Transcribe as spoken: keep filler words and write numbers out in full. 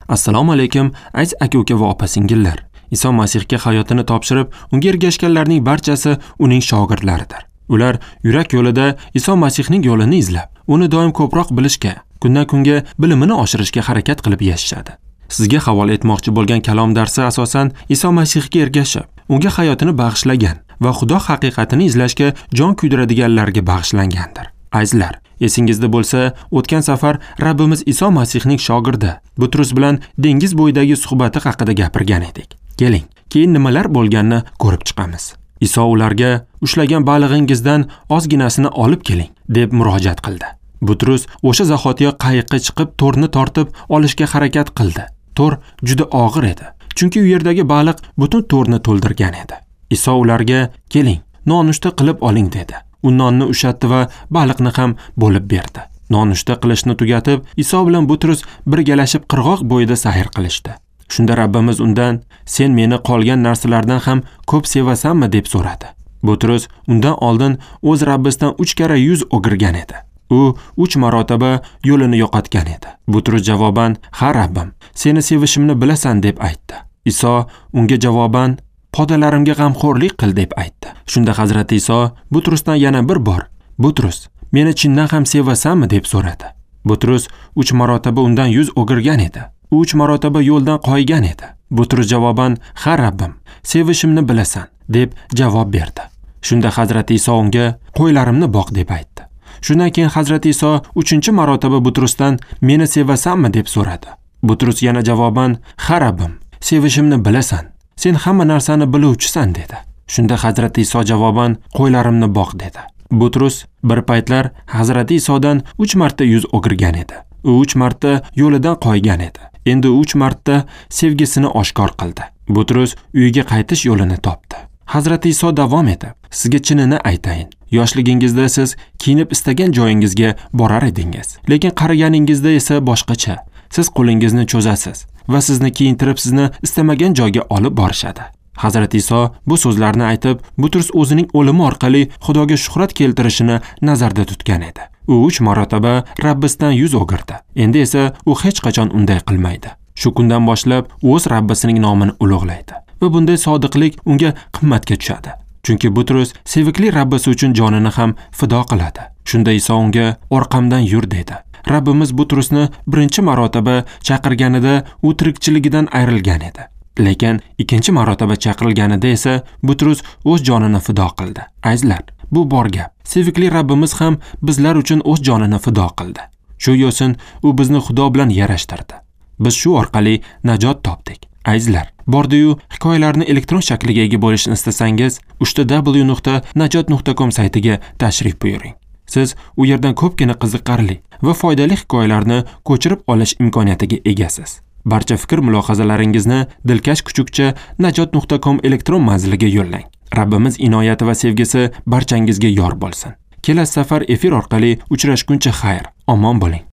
Assalomu alaykum, aziz aka-uka va opa-singillar. Iso Masihga hayotini topshirib, unga ergashganlarning barchasi uning shogirdlaridir. Ular yurak yo'lida Iso Masihning yo'lini izlab, uni doim ko'proq bilishga, kundan kunga bilimini oshirishga harakat qilib yashashadi. Sizga havola etmoqchi bo'lgan kalom darsi asosan Iso Masihga ergashib, unga hayotini bag'ishlagan va Xudo haqiqatini izlashga jon kuydiradiganlarga bag'ishlangandir. Azizlar, esingizda bo'lsa, o'tgan safar Rabbimiz Iso Masihning shogirdi Butrus bilan dengiz bo'yidagi suhbati haqida gapirgan edik. Keling, keyin nimalar bo'lganini ko'rib chiqamiz. Iso ularga ushlagan balig'ingizdan ozginasini olib keling deb murojaat qildi. Butrus o'sha zahotiyoq qayiqqa chiqib to'rni tortib olishga harakat qildi. To'r juda og'ir edi, chunki u yerdagi baliq butun to'rni to'ldirgan edi. Iso ularga keling, nonushta qilib oling dedi. U nonni ushatdi va baliqni ham bo'lib berdi. Nonushta qilishni tugatib, Iso bilan Butrus birgalashib qirg'oq bo'yida sayr qilishdi. Shunda Rabbimiz undan: "Sen meni qolgan narsalardan ham ko'p sevasanmi?" deb so'radi. Butrus undan oldin o'z Rabbisidan uch karra yuz o'girgan edi. U uch marotaba yo'lini yo'qotgan edi. Butrus javoban: "Ha Rabbim, seni sevishimni bilasan" deb aytdi. Iso unga javoban: "Podalarimga g'amxo'rlik qil" deb aytdi. Shunda Hazrati Iso Butrusdan yana bir bor: "Butrus, meni chindan ham sevasanmi?" deb so'radi. Butrus uch marotaba undan yuz o'girgan edi. U uch marotaba yo'ldan qoygan edi. Butrus javoban: "Ha Rabbim, sevishimni bilasan" deb javob berdi. Shunda Hazrati Iso unga: "Qo'ylarimni boq" deb aytdi. Shundan keyin Hazrati Iso uchinchi marotaba Butrusdan: "Meni sevasanmi?" deb so'radi. Butrus yana javoban: "Ha Rabbim, sevishimni bilasan. Sen hamma narsani biluvchisan" dedi. Shunda Hazrati Iso javoban: "Qo'ylarimni boq" dedi. Butrus bir paytlar Hazrati Isodan uch marta yuz o'girgan edi. U uch marta yo'lidan qoygan edi. Endi uch marta sevgisini oshkor qildi. Butrus uyiga qaytish yo'lini topdi. Hazrati Iso davom etib: "Sizga chinini aytayin. Yoshligingizda siz kiyinib istagan joyingizga borar edingiz. Lekin qariganingizda esa boshqacha. Siz qo'lingizni cho'zasiz va sizni kiyintirib sizni istamagan joyga olib borishadi." Hazrati Iso bu so'zlarni aytib, Butrus o'zining o'limi orqali Xudoga shuhrat keltirishini nazarda tutgan edi. U uch marotaba Rabbisidan yuz o'girdi. Endi esa u hech qachon unday qilmaydi. Shu kundan boshlab o'z Rabbisining nomini ulug'laydi va bunday sodiqlik unga qimmatga tushadi. Chunki Butrus sevikli Rabbisi uchun jonini ham fido qiladi. Shunda Iso unga: "Orqamdan yur" dedi. Rabbimiz Butrusni birinchi marotaba chaqirganida u tirikchiligidan ayrilgan edi. Lekin ikkinchi marotaba chaqirilganida esa Butrus o'z jonini fido qildi. Azizlar, bu bor gap. Sevikli Rabbimiz ham bizlar uchun o'z jonini fido qildi. Shu yo'sin u bizni Xudo bilan yarashtirdi. Biz shu orqali najot topdik. Azizlar, bordi-yu hikoyalarni elektron shakliga ega bo'lishni istasangiz, uch w nuqta najot nuqta com saytiga tashrif buyuring. Siz u yerdan ko'pgina qiziqarli va foydali hikoyalarni ko'chirib olish imkoniyatiga egasiz. Barcha fikr mulohazalaringizni dilkash kuchukcha najot nuqta com elektron manziliga yo'llang. Rabbimiz inoyati va sevgisi barchangizga yor bo'lsin. Kelasi safar efir orqali uchrashguncha xayr, omon bo'ling.